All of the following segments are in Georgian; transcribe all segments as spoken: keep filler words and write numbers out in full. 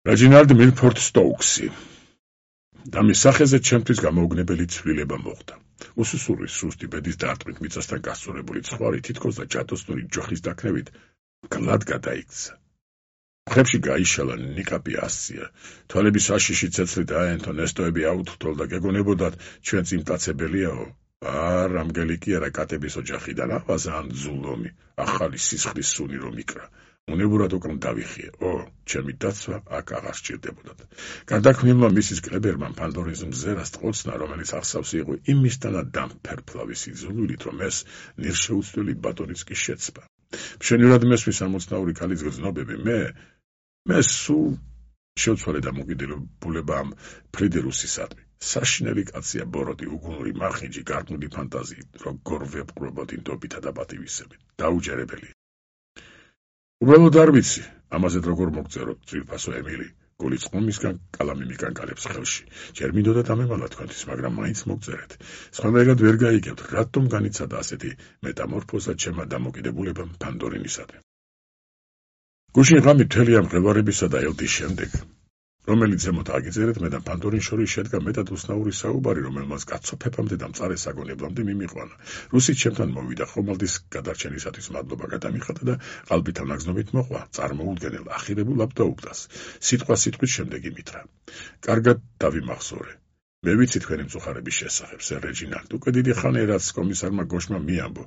Reginald Milford Stokes-ი და მის სახეზე ჩემთვის გამოუგნებელი ცვლილება მოხდა. უსუსური სუსტი ბედის დარტყმით მიწასთან გასწორებული ცხვარი თითქოს და ჯადოსნური ჯოხის დაქნევით გლად გადაიქცა. მხრებში გაიშალა ნიკაპი ასწია, თვალების საშიში ცეცხლი დააენთო, ნესტოები აუთრთოლ და გეგონებოდათ ჩვენ წიმტაცებელიაო. არ ამგელი კი არა კატების ოჯახიდან აღვაზა ან ძულომი, ახალი სისხლის სუნი რომ იკრა. უნებურად უკან დავიხიე. ო, ჩემი დაცვა აქ აღარ სჭირდებოდათ. გარდაქმნილმა მისის კლებერმა ფანდორის მზერას ტყოცნა, რომელიც ახსავს იყო იმისთანა დამფერფლავი სიძულვილით, რომ ეს ნირშეუცვლელი ბატონიც კი შეცბა. მშვენივრად მესმის ამოცნაური ქალის გრძნობები, მე მე სულ შევცვალე დამოკიდებულება ამ ფრიდერუსისადმი. საშინელი კაცია ბოროტი, უგუნური მარხინჯი, გარყვნილი ფანტაზიით, როგორ ვეპყრობოდი ნდობითა და პატივისცემით. დაუჯერებელი. უბრალოდ არ ვიცი, ამაზე როგორ მოგწეროთ, ძვირფასო ემილი. გული წყომისგან კალამი მიკანკალებს ხელში. ჯერ მინდოდა დამემალა თქვენთვის, მაგრამ მაინც მოგწერეთ. სხვანაირად ვერ გაიგებთ, რატომ განიცადა ასეთი მეტამორფოზა ჩემმა დამოკიდებულებამ ფანდორინისადმი. გუშინ ღამით მთელი ამ მღელვარებისა და ელდის შემდეგ, რომელიც ზემოთ აგიწერეთ, მე და ფანდორინ შორის შედგა მეტად უცნაური საუბარი, რომელმაც გაცოფებამდე და მწარე საგონებლამდე მიმიყვანა. რუსით ჩემთან მოვიდა, ხომალდის გადარჩენისათვის მადლობა გადამიხადა და ყალბით ანაგზნობით მოყვა, წარმოუდგენელ ახირებულ აბდაუბდას. სიტყვა სიტყვის შემდეგ იმითრა. კარგად დავიმახსოვრე. მე ვიცი თქვენი მწუხარების შესახებ, სერ რეჯინალდ, უკვე დიდი ხანია, რაც კომისარმა გოშმა მიამბო.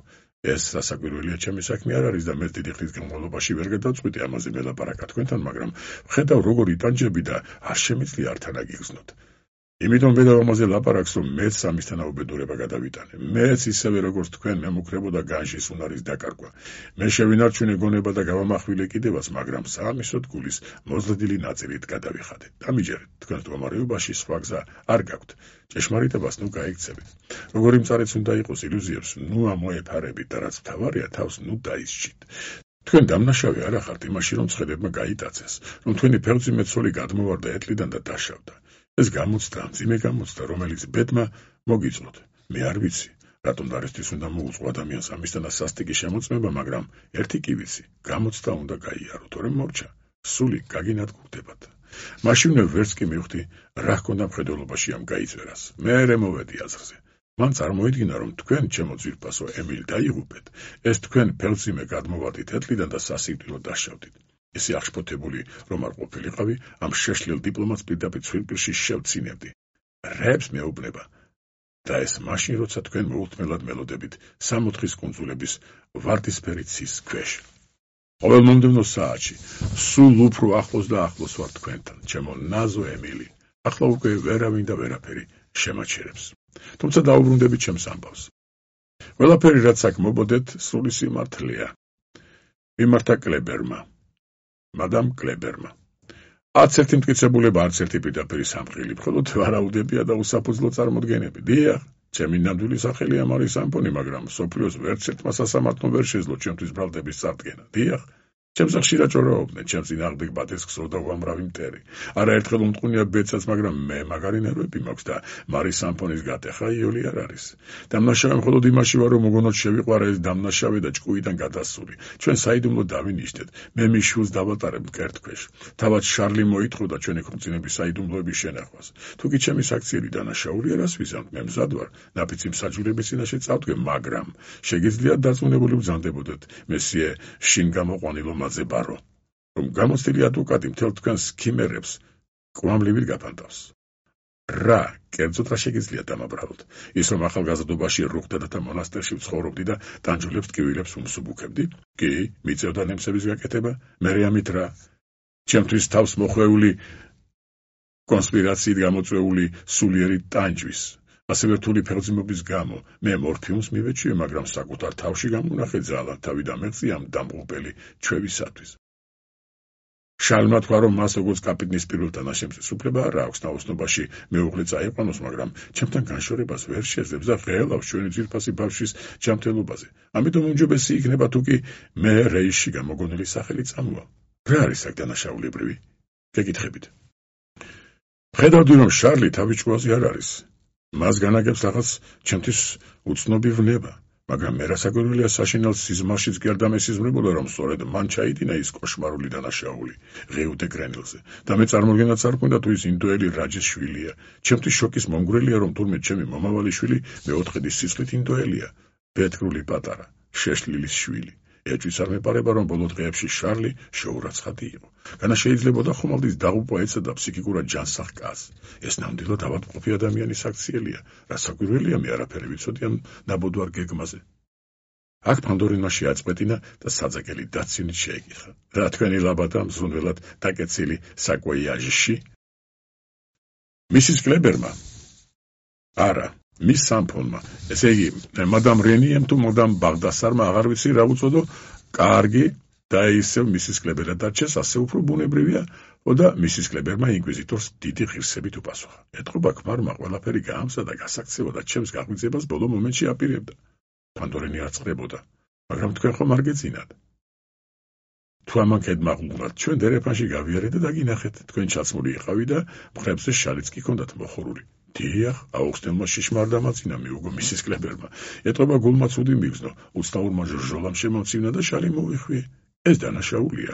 ეს სასაკვირველია ჩემი საქმე არ არის და მე დიდი ხნის განმავლობაში ვერ გადავწყვიტე ამაზე მელაპარაკა თქვენთან, მაგრამ ვხედავ როგორ იტანჯები და არ შემიძლია ართან აგიგრძნოთ. იმიტომ ვედავ ამაზე ლაპარაკს, რომ მეც ამისთანა უბედურება გადავიტანე. მეც ისევე როგორც თქვენ მემუქრებოდა განშის უნარის დაკარგვა. მე შევინარჩუნე გონება და გავამახვილე კიდევაც, მაგრამ საამისოდ გულის მოზრდილი ნაწილით გადავიხადე. დამიჯერეთ, თქვენ მდგომარეობაში სხვა გზა არ გაქვთ. ჭეშმარიტებას ნუ გაიქცებით. როგორი მწარეც უნდა იყოს ილუზიებს, ნუ ამოეფარებით და რაც მთავარია, თავს ნუ დაისჯით. თქვენ დამნაშავე არ ახართ იმაში, რომ ცხელებმა გაიტაცეს, რომ თქვენი ფეხმძიმე ცოლი გადმოვარდა ეტლიდან და დაშავდა. ეს გამოცდა, მძიმე გამოცდა, რომელიც ბედმა მოგიწვოთ. მე არ ვიცი, რატომ დარესთვის უნდა მოუწყო ადამიანს ამისთანა სასტიკი შემოწმება, მაგრამ ერთი კი ვიცი, გამოცდა უნდა გაიარო, თორემ მორჩა, სული გაგინადგურდებათ. მაშინვე ვერც კი მივხვდი, რა ჰქონდა მხედველობაში ამ გაიწერას. მერე მოვედი აზრზე. მან წარმოიდგინა, რომ თქვენ, ჩემო ძვირფასო ემილ, დაიღუპეთ. ეს თქვენ ფეხმძიმე გადმოვარდით ეტლიდან და სასიკვდილოდ დაშავდით. ესე აღშფოთებული რომ არ ყოფილიყავი, ამ შეშლილ დიპლომატს პირდაპირ ცვილპირში შევცინებდი. რებს მეუბნება. და ეს მაშინ, როცა თქვენ მოულთმელად მელოდებით სამოთხის კუნძულების ვარდისფერი ცის ქვეშ. ყოველ მომდევნო საათში, სულ უფრო ახლოს და ახლოს ვარ თქვენთან, ჩემო ნაზო ემილი. ახლა უკვე ვერავინ და ვერაფერი შემაჩერებს. თუმცა დაუბრუნდებით ჩემს ამბავს. ყველაფერი, რაც აქ მობოდეთ, სრული სიმართლეა. მიმართა კლებერმა. მადამ კლებერმა. არც ერთი მტკიცებულება, არც ერთი პირდაპირი სამყილი, მხოლოდ ვარაუდებია და უსაფუძვლო წარმოდგენები. დიახ, ჩემი ნამდვილი სახელია მარი სამფონი, მაგრამ სოფლიოს ვერც ერთმა სასამართლომ ვერ შეძლო ჩემთვის ბრალდების წარდგენა. დიახ, ჩემს ხშირად ჭორაობდნენ, ჩემს წინააღმდეგ ბადეს გსურდა უამრავი მტერი. არაერთხელ უმტყუნია ბედსაც, მაგრამ მე მაგარი ნერვები მაქვს და მარი სამფონის გატეხა იოლი არ არის. დამნაშავე მხოლოდ იმაში ვარ, რომ მოგონოთ შევიყვარა ეს დამნაშავე და ჭკუიდან გადასული. ჩვენ საიდუმლო დავინიშნეთ, მე მის შვილს დავატარებ მკერდქვეშ. თავად შარლი მოითხოვდა ჩვენი ქორწინების საიდუმლოების შენახვას. თუ კი ჩემი საქციელი დანაშაულია, რას ვიზამთ, მე მზად ვარ, ნაფიცი მსაჯულების წინაშე წავდგე, მაგრამ შეგიძლიათ დარწმუნებული ვზანდებოდეთ, მესიე შინ გამოყვანილო მაძებარო, რომ გამოცდილი ადვოკატი მთელ თქვენს ქიმერებს კვამლივით გაფანტავს. რა, კერძოდ რა შეგიძლიათ დამაბრალოთ? ის რომ ახალგაზრდობაში რუხდადათა მონასტერში ვცხოვრობდი და ტანჯულებს ტკივილებს უმსუბუქებდი? კი, მიწევდა ნემსების გაკეთება, მერე ამით რა? ჩემთვის თავს მოხვეული კონსპირაციით გამოწვეული სულიერი ტანჯვის. ასევე რთული ფეხმძიმობის გამო მე მორფიუმს მივეჩვიე, მაგრამ საკუთარ თავში გამონახე ძალა, თავი დამეღწია ამ დამღუპელი ჩვევისათვის. შალმა თქვა, რომ მას როგორც კაპიტნის პირველ თანაშემწეს უფლება არ აქვს ნაოსნობაში მეუღლე წაიყვანოს, მაგრამ ჩემთან განშორებას ვერ შეძლებს და ღელავს ჩვენი ძვირფასი ბავშვის ჯანმრთელობაზე. ამიტომ უმჯობესი იქნება თუ კი მე რეისში გამოგონილი სახელი წამოვალ. რა არის აქ დანაშაულებრივი? გეკითხებით. ხედავდი, რომ შარლი თავი ჭკუაზე არ არის. მას განაგებს რაღაც ჩემთვის უცნობი ვნება, მაგრამ მე რასაკვირველია საშინელ სიზმარშიც კი არ დამესიზმრებოდა, რომ სწორედ მან ჩაიდინა ის კოშმარული დანაშაული ღეუდე გრენილზე და მე წარმოდგენაც არ მქონდა თუ ის ინდოელი რაჯის შვილია. ჩემთვის შოკის მომგვრელია, რომ თურმე ჩემი მომავალი შვილი მეოთხედის სისხლით ინდოელია, ბეთქრული პატარა, შეშლილის შვილი. ეჭვიც არ მეპარება, რომ ბოლო დღეებში შარლი შეურაცხადი იყო. განა შეიძლებოდა ხომალდის დაღუპვა ეცედა ფსიქიკურად ჯანსაღ კაცს. ეს ნამდვილად ავადმყოფი ადამიანის აქციელია. რასაკვირველია, მე არაფერი ვიცოდი ამ ნაბოდვარ გეგმაზე. აქ ფანდორინმა შეაწყვეტინა და საძაგელი დაცინით შეეკითხა. რა თქვენი ლაბადა მზრუნველად დაკეცილი საკვოიაჟში? მისის კლებერმა? არა. მის სამფონმა, ესე იგი, მადამ რენიემ თუ მადამ ბაღდასარმა აღარ ვიცი რა უწოდო, კარგი და ისევ მისის კლებერად დარჩეს, ასე უფრო ბუნებრივია, და მისის კლებერმა ინკვიზიტორს დიდი ღირსებით უპასუხა. ეტყობა ქმარმა ყველაფერი გაამზადა გასაქცევოდა ჩემს გაღვიძებას ბოლო მომენტში აპირებდა. ფანდორენი არ წყდებოდა, მაგრამ თქვენ ხომ არ გეძინათ? თუ ამან კედმაღლულად ჩვენ დერეფანში გავიარეთ და დაგინახეთ, თქვენ ჩაცმული იყავი და მხრებზე შალიც კი ჰქონდათ მოხურული. დიახ, აუხსნელმა შიშმა არ დამაწინა, მიუგო მისის კლებერმა. ეტყობა გულმა ცუდი მიგზნო, უცნაურმა ჟურჟოლამ შემომცინა და შალი მოვიხვიე. ეს დანაშაულია.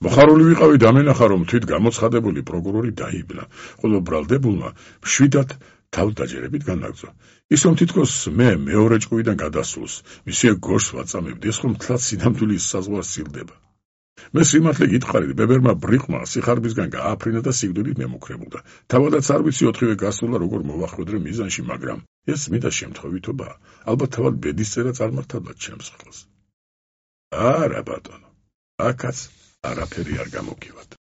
მოხარული ვიყავი, დამენახა, რომ თვით გამოცხადებული პროკურორი დაიბლა, ხოლო ბრალდებულმა მშვიდად თავდაჯერებით განაგრძო. ის რომ თითქოს მე მეორე ჭკუიდან გადასულს, მისია გორს ვაწამებდი, ეს რომ თლაც სინამდვილის საზღვარს სილდება. მე სიმართლე გითხარით, ბებერმა ბრიყმა სიხარბისგან გააფრინა და სიკვდილით მემუქრებოდა. თავადაც არ ვიცი ოთხივე გასულა როგორ მოვახვედრე მიზანში, მაგრამ ეს წმინდა შემთხვევითობაა. ალბათ თავად ბედისწერა წარმართავდა ჩემს ხელს. არა ბატონო, აქაც არაფერი არ გამოგივათ.